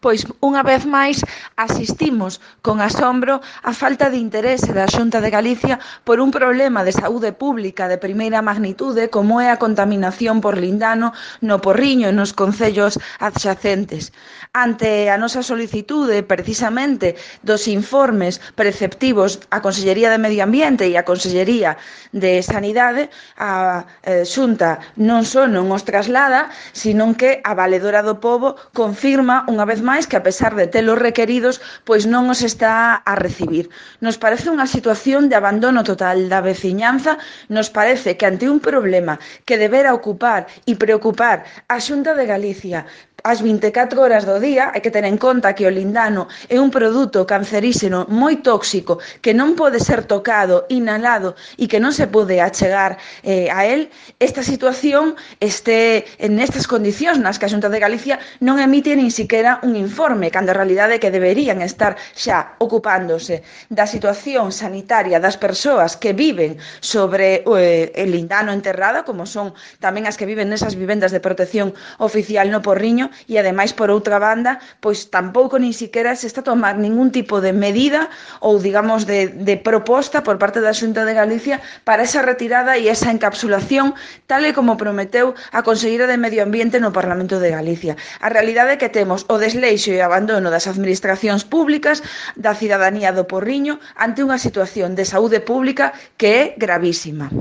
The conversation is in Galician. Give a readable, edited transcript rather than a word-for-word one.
pois unha vez máis asistimos con asombro á falta de interese da Xunta de Galicia por un problema de saúde pública de primeira magnitude como é a contaminación por lindano no Porriño e nos concellos adxacentes. Ante a nosa solicitude, precisamente, dos informes preceptivos á Consellería de Medio Ambiente e á Consellería de Sanidade, a Xunta non só non os traslada, sino que a Valedora do Pobo confirma unha vez máis que a pesar de telos requeridos, pois non os está a recibir. Nos parece unha situación de abandono total da veciñanza, nos parece que ante un problema que debera ocupar e preocupar a Xunta de Galicia ás 24 horas do día, hai que ter en conta que o lindano é un produto canceríxeno moi tóxico que non pode ser tocado, inhalado e que non se pode achegar a él. Esta situación este nestas condicións nas que a Xunta de Galicia non emite nin siquiera un informe, cando a realidade é que deberían estar xa ocupándose da situación sanitaria das persoas que viven sobre el lindano enterrado, como son tamén as que viven nesas vivendas de protección oficial no Porriño, e ademais, por outra banda, pois tampouco nin siquiera se está a tomar ningún tipo de medida ou, digamos, de proposta por parte da Xunta de Galicia para esa retirada e esa encapsulación, tal e como prometeu a Conselleira de Medio Ambiente no Parlamento de Galicia. A realidade é que temos o desleixo e o abandono das administracións públicas, da cidadanía do Porriño, ante unha situación de saúde pública que é gravísima.